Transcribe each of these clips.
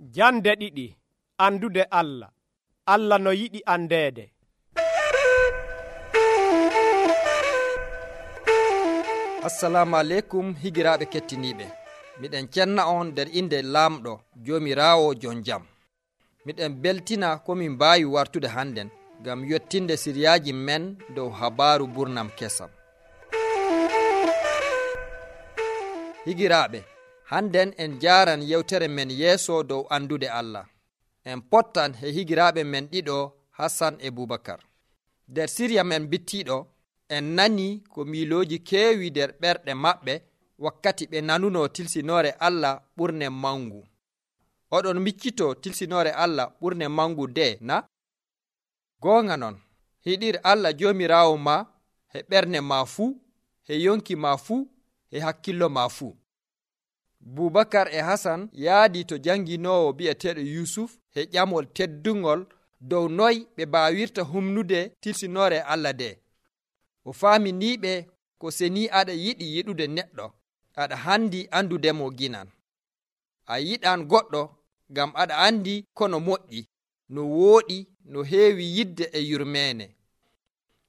Jande ɗiɗi. Andude Allah. Allah no yiɗi andeede. Assalamu aleykum higiraaɓe kettiniiɓe. Miɗen cenna on nder inde laamɗo Joomiraawo jon jam. Miɗen beltina ko min mbaawi wartude hannden ngam yottinde siriyaaji men dow habaaru burnam kesam. Higiraaɓe, hannden en jaaran yewtere men yeeso dow andude Allah. En pottan he higiraaɓe men ɗiɗo Hassan e Bubakar. Nder siriya men bittiiɗo en nani ko miilooji keewi nder ɓerɗe maɓɓe wakkati ɓe nanuno tilsinoore Allah ɓurne mangu. Oɗon miccito tilsinoore Allah ɓurne mangu de na? Goonga non, hiɗir Allah Joomiraawo ma he ɓernde ma fuu, he yonki ma fuu, he hakkillo ma fuu. Bubakar e Hasan yaadi to janginoowo bi'eteeɗo Yusuf he ƴamol teddungol dow noy ɓe baawirta humnude tilsinoore Allah de. O faaminiiɓe ko seni aɗa yiɗi yiɗude neɗɗo, aɗa handi andudemo ginan. A yiɗan goɗɗo ngam aɗa andi kono moƴƴi, no wooɗi, no heewi yidde e yurmeene.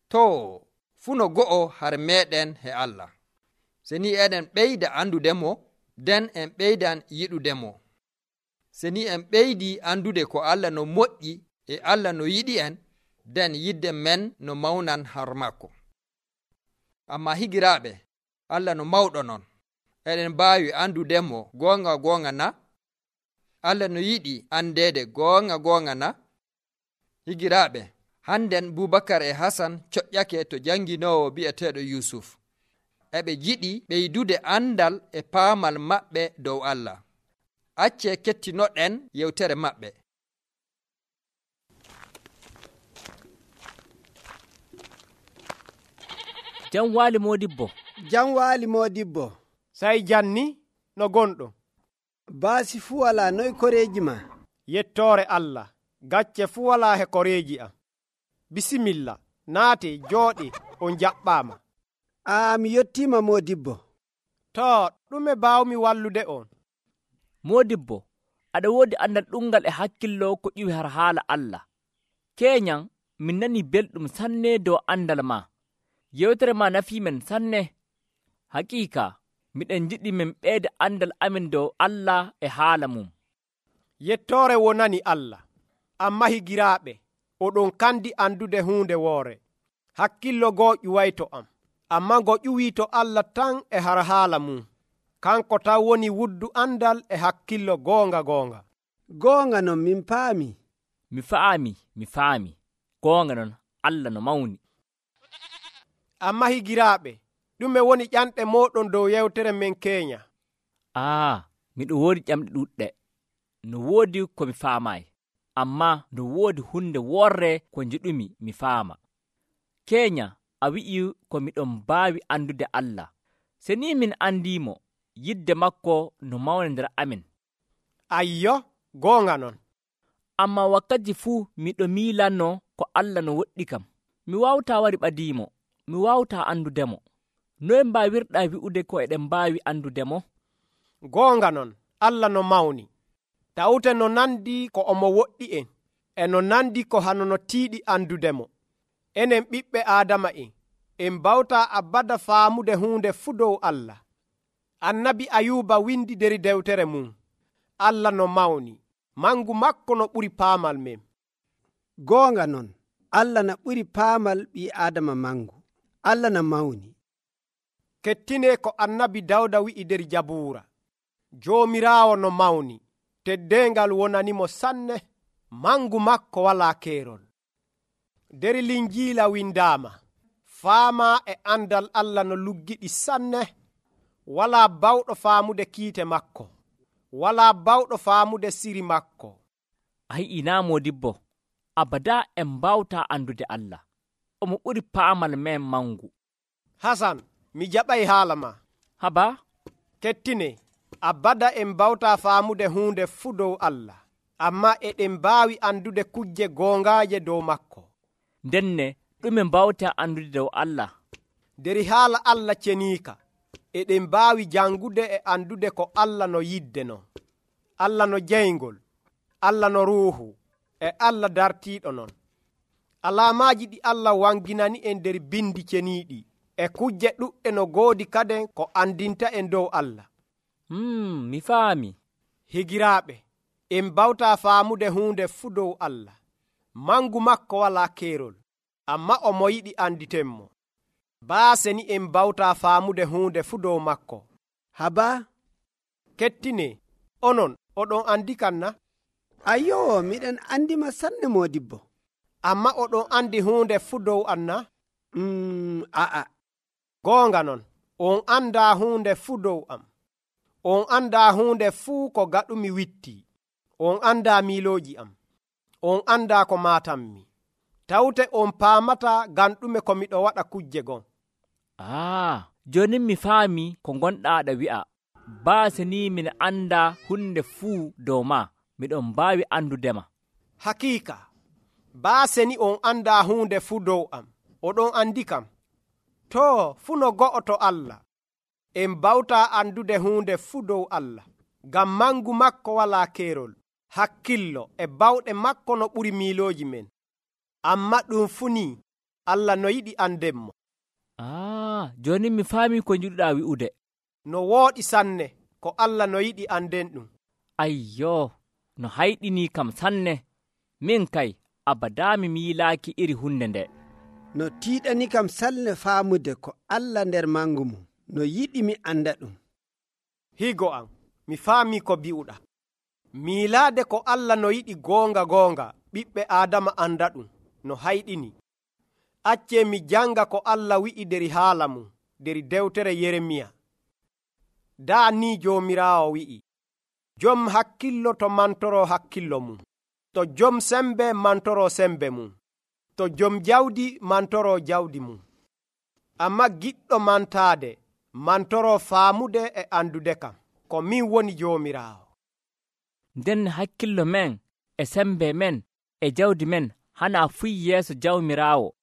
Too, fuu no go'o har meɗen he Allah. Seni eɗen ɓeyda andudemo, nden en ɓeydan yiɗudemo. Seni en ɓeydi andude ko Allah no moƴƴi e Allah no yiɗi en, nden yidde men no mawnan har makko. Amma higiraaɓe, Allah no mawɗo non, eɗen mbaawi andudemo goonga na? Allah no yiɗi andeede goonga na? Higiraaɓe, hannden Bubakar e Hasan coƴƴake to janginoowo bi'eteeɗo Yusuf. Eɓe jiɗi ɓeydude andal e paamal maɓɓe dow Allah. Acce kettinoɗen yewtere maɓɓe. Jam waali Modibbo. Jam waali Modibbo. Sai janni no gonɗo. Baasi fuu walaa, noy koreeji ma? Yettoore Allah. Gacce fuu walaa he koreeji am. Bisimilla, naate jooɗe on jaɓɓaama. Mi yottiima Modibbo. To, ɗume baawmi wallude on? Modibbo, aɗa woodi andal ɗungal e hakkillo ko ƴiwi har haala Allah. Keeñan, min nani belɗum sanne dow andal ma. Yewtere ma nafiimen sanne. Haqiika, miɗen jiɗi min ɓeyda andal amin dow Allah e haala mum. Yettoore wonani Allah. Amma higiraaɓe, oɗon kandi andude huunde woore. Hakkillo goo ƴuway to am. Amma ngo ƴuwii to Allah tan e har haala mum. Kanko taw woni wuddu andal e hakkillo goonga. Goonga non min paami. Mi faami. Goonga non Allah no mawni. Amma higiraaɓe, ɗume woni ƴanɗe mooɗon dow yewtere men keenya? Miɗo woodi ƴamɗe ɗuɗɗe. No woodi ko mi faamaayi, amma no woodi hunde worre ko njiɗumi mi faama. Keenya, a wi'i ko miɗon mbaawi andude Allah. Se ni min andiimo, yidde makko no mawna nder amin. Ayyo, goonga non. Amma wakkati fuu miɗo miilanno ko Allah no woɗɗi kam. Mi waawtaa wari ɓadiimo, mi waawtaa andudemo. Noye mbaawirɗaa wi'ude ko eɗen mbaawi andudemo? Goonga non, Allah no mawni. Tawte no nandi ko omo woɗɗi en, e no nandi ko hano no tiiɗi andudemo. Enen ɓiɓɓe Aadama en mbawtaa abada faamude huunde fuu dow Allah. Annabi Ayuba windi der dewtere mum. Allah no mawni, mangu makko no ɓuri paamal men. Goonga non, Allah na ɓuri paamal ɓii Aadama mangu. Allah na mawni. Kettine ko annabi Dawda wi'i der Jabuura. Joomiraawo no mawni, teddengal wonanimo sanne, mangu makko walaa keerol. Der Linjiila windaama, faamaa e andal Allah no luggiɗi sanne, walaa bawɗo faamude kiite makko, walaa bawɗo faamude siri makko. Naa Modibbo, abada en mbawtaa andude Allah. Omo ɓuri paamal men mangu. Hasan, mi jaɓay haala ma. Haba? Kettine, abada en mbawtaa faamude huunde fuu dow Allah, amma eɗen mbaawi andude kujje goongaaje dow makko. Ndenne, ɗume mbawtaa andude dow Allah? Der haala Allah ceniika, eɗen mbaawi jangude e andude ko Allah no yidde non. Allah no jeyngol, Allah no ruuhu e Allah dartiiɗo non. Alaamaaji ɗi Allah wanginani en nder bindi ceniiɗi e kujje ɗuɗɗe no goodi kaden ko andinta en dow Allah. Mi faami. Higiraaɓe, en bawtaa faamude huunde fuu dow Allah. Mangu makko walaa keerol, amma o mo yiɗi anditenmo. Baase ni en bawtaa faamude huunde fuu dow makko. Haba, Kettine, onon oɗon andi kan na? ayyo, miɗen andima sanne modibbo. Amma oɗon andi huunde fuu dow an na? A'a. Goonga non, on andaa huunde fuu dow am. On andaa huunde fuu ko gaɗumi witti. On andaa miilooji am. On andaa ko maatanmi. Tawte on paamata ngam ɗume ko miɗo waɗa kujje gon. Joni mi faami ko gonɗaaɗa wi'a. Baase ni min anda hunde fuu dow ma, miɗon mbaawi andudema. Hakiika, baase ni on andaa huunde fuu dow am. Oɗon andi kam. To fuu no go'oto Allah. En bawtaa andude huunde fuu dow Allah. Ngam mangu makko walaa keerol, hakkillo e bawɗe makko no ɓuri miilooji men. Amma ɗum fuu ni Allah no yiɗi andenmo. Joni mi faami ko jiɗuɗaa wi'ude. No wooɗi sanne ko Allah no yiɗi anden ɗum. Ayyo, no hayɗini kam sanne. Min kay abadaa mi miilaaki iri hunde nde. No tiiɗani kam sanne faamude ko Allah nder mangu mum no yiɗi mi anda ɗum. Higo am, mi faami ko bi'uɗa. Miilaade ko Allah no yiɗi goonga ɓiɓɓe Aadama anda ɗum no hayɗini. Accee mi janga ko Allah wi'i der haala mum der dewtere Yeremiya. Daa ni Joomiraawo wi'i, jom hakkillo to mantoro hakkillo mum, to jom sembe mantoro sembe mum, to jom jawdi mantoro jawdi mum. Amma giɗɗo mantaade mantoro faamude e andude kam ko min woni Joomiraawo. Nden hakkillo men e sembe men e jawdi men hana fuy yeeso Jawmiraawo,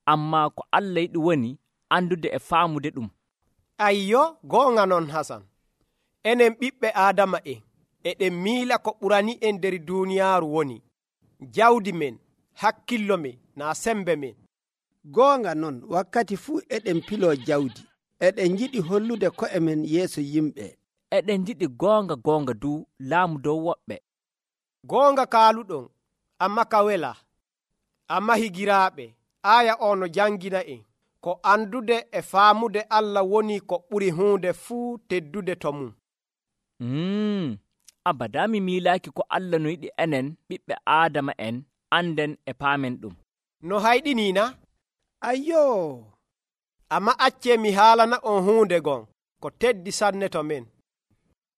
amma ko Allah yiɗi woni andude e faamude ɗum. Ayyo, goonga non Hasan. Enen ɓiɓɓe Aadama eɗen miila ko ɓurani en nder duuniyaaru woni jawdi men, hakkillo men, naa sembe men. Goonga non, wakkati fuu eɗen piloo jawdi, eɗen jiɗi hollude ko'e men yeeso yimɓe. Eɗen jiɗi goonga du laamu dow woɓɓe. Goonga kaaluɗon, amma ka wela. Amma higiraaɓe, aya o no jangina en ko andude e faamude Allah woni ko ɓuri huunde fuu teddude to mum. Abadaa mi miilaaki ko Allah no yiɗi enen ɓiɓɓe Aadama en anden e paamen ɗum. No hayɗini na? Ayyo, amma accee mi haalana on huunde gon ko teddi sanne to men.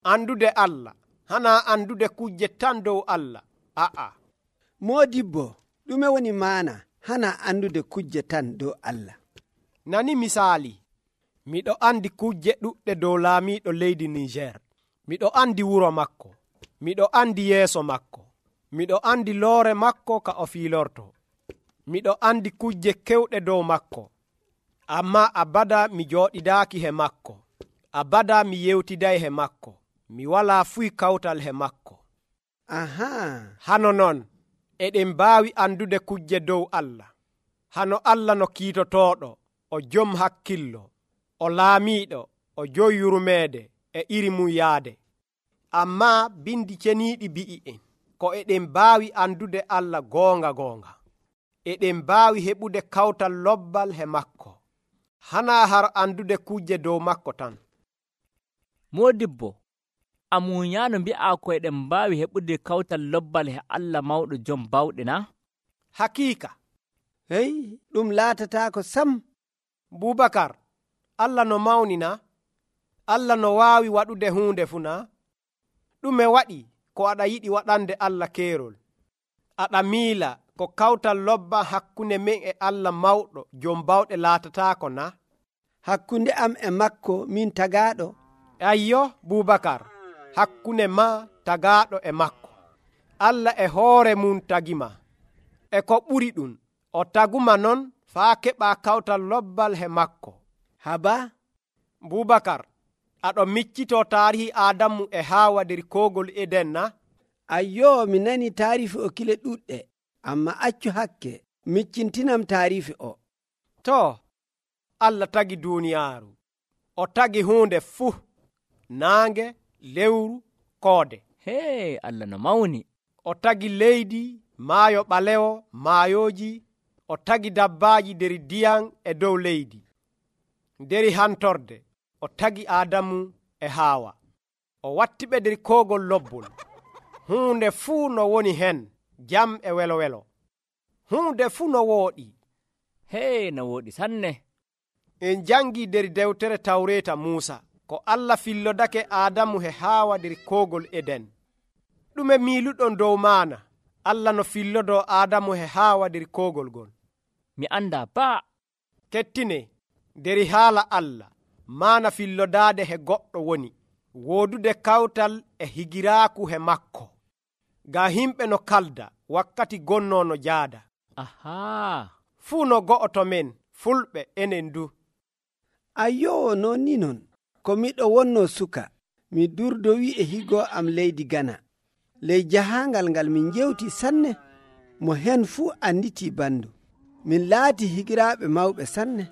Andude Allah hana andude kujje tan dow Allah. Moodibbo, ɗume woni maana hana andude kujje tan dow Allah? Nani misaali, miɗo andi kujje ɗuɗɗe dow laamiiɗo leydi Niger. Miɗo andi wuro makko, miɗo andi yeeso makko, miɗo andi loore makko ka o fiilorto, miɗo andi kujje kewɗe dow makko. Amma abada mi jooɗidaaki he makko, abada mi yewtiday he makko, mi walaa fuy kawtal he makko. Hano non eɗen mbaawi andude kujje dow Allah. Hano Allah no kiitotooɗo, o jom hakkillo, o laamiiɗo, o joyi yurmeede e iri mum yaade. Amma bindi ceniiɗi bi'i en ko eɗen mbaawi andude Allah goonga. Eɗen mbaawi heɓude kawtal lobbal he makko. Hana har andude kujje dow makko tan. Moodibbo, amuñaano mbi'a ko eɗen mbaawi heɓude kawtal lobbal he Allah mawɗo jom bawɗe na? Hakiika. Hey, ɗum laatataako sam. Bubakar, Allah no mawni na? Allah no waawi waɗude huunde fuu na? Ɗume waɗi ko aɗa yiɗi waɗande Allah keerol? Aɗa miila ko kawtal lobba hakkunde men e Allah mawɗo jom bawɗe laatataako na? Hakkunde am e makko min tagaaɗo. Ayyo, Bubakar, hakkunde ma tagaaɗo e makko. Allah e hoore mum tagima. E ko ɓuri ɗum, o taguma non faa keɓa kawtal lobbal he makko. Haba? Bubakar, aɗo miccito taarihi Adamu e Haawa der koogol Eden na? Ayyoo, mi nani taarifi o kile ɗuɗɗe, amma accu hakke miccintinam taarifi o. To, Allah tagi duuniyaaru. O tagi huunde fuu, naange, lewru, koode. hee Allah no mawni. O tagi leydi, maayo ɓalewo, maayooji. O tagi dabbaaji der ndiyam e dow leydi. Deri hantorde, o tagi Aadamu e Haawa. O wattiɓe der koogol lobbol. Huunde fuu no woni hen, jam e welo. Huunde fuu no wooɗi. hee no wooɗi sanne. En jangi der dewtere Tawreeta Muusa ko Allah fillodake Aadamu e Haawa der koogol Eden. ɗume miiluɗon dow maana Allah no fillodo Aadamu e Haawa der koogol gol? Mi anda baa. Kettine, deri haala Allah maana fillodaade he goɗɗo woni woodude kawtal e higiraaku he makko. Ga himɓe no kalda wakkati gonnono jaada. Ahaa. Fuu no go'oto men fulɓe enen du. Ayyoo, non ni non, ko miɗo wonno suka, mi durdowi e higo am leydi Gana. Ley jahangal ngal min jewti sanne, mo hen fuu anditi bandu. Min laati higiraaɓe mawɓe sanne.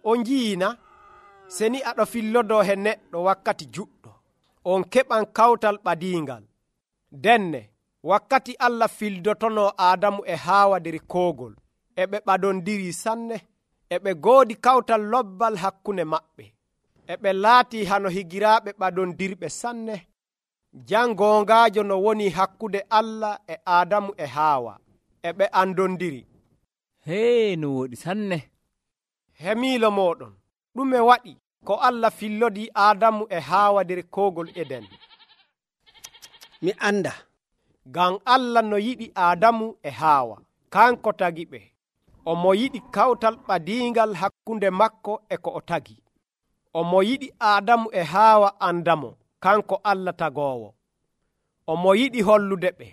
On jiina, seni aɗo fillodo he neɗɗo wakkati juɗɗo, on keɓan kawtal ɓadiingal. Denne, wakkati Allah fildotono Aadamu e Haawa der koogol, e ɓe ɓadondiri sanne, e ɓe goodi kawtal lobbal hakkunde maɓɓe, e ɓe laati hano higiraaɓe ɓadondirɓe sanne. Jangongaajo no woni hakkude Allah e Aadamu e Haawa, e ɓe andondiri. hee no wooɗi sanne. Hemiilo moɗon, ɗume waɗi ko Allah fillodi Aadamu e Haawa der koogol Eden? Mi anda. Ngam Allah no yiɗi Aadamu e Haawa, kanko tagi ɓe. Omo yiɗi kawtal ɓadiingal hakkunde makko e ko o tagi. Omo yiɗi Aadamu e Haawa andamo, kanko Allah tagoowo. Omo yiɗi hollude ɓe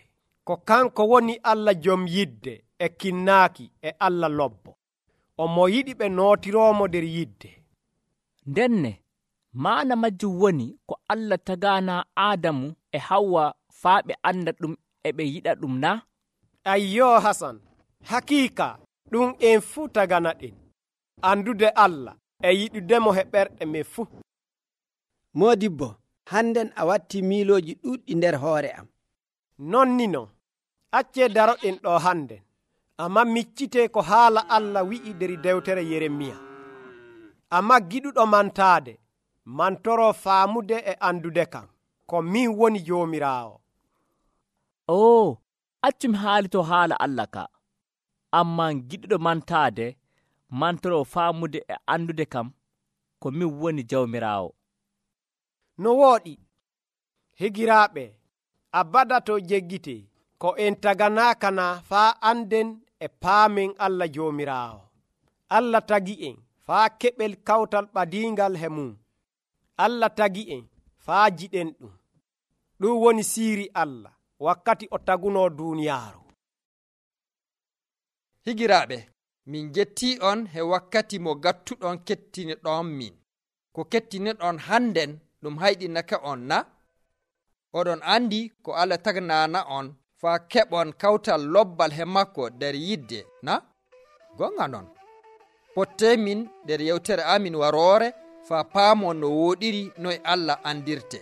ko kanko woni Allah jom yidde e kinnaaki e Allah lobbo. Omo yiɗi ɓe nootiroomo der yidde. Ndenne maana majjum woni ko Allah tagaana Aadamu e Hawwa faa ɓe anda ɗum e ɓe yiɗa ɗum na? Ayyo Hasan, hakiika ɗum en fuu tagana ɗen, andude Allah e yiɗudemo he ɓerɗe men fuu. Modibbo, hannden a watti miilooji ɗuɗɗi nder hoore am. Non ni non, accee daroɗen ɗo hannden, amma miccite ko haala Allah wi'i der dewtere Yeremiya. Amma giɗuɗo mantaade, mantoro faamude e andude kam, ko min woni Joomiraawo. Oo, accumi haalito haala Allah ka. Ammaa giɗuɗo mantaade, mantoro faamude e andude kam, ko min woni Jawmiraawo. No wooɗi, higiraaɓe, a badato jeggite, ko en taganaakana faa anden e paamen Allah Joomiraawo. Allah tagi en faa keɓel kawtal ɓadiingal he mum. Allah tagi en faa jiɗen ɗum. Ɗum woni siiri Allah wakkati o taguno duuniyaaru. Higiraaɓe, min jettii on he wakkati mo gattuɗon kettiniɗon min. Ko kettiniɗon hannden ɗum hayɗinake on na? Oɗon andi ko Allah tagnana on faa keɓon kawtal lobbal he makko nder yidde na? Gonga non. Potte min nder yewtere amin waroore faa paamon no wooɗiri noye Allah andirte.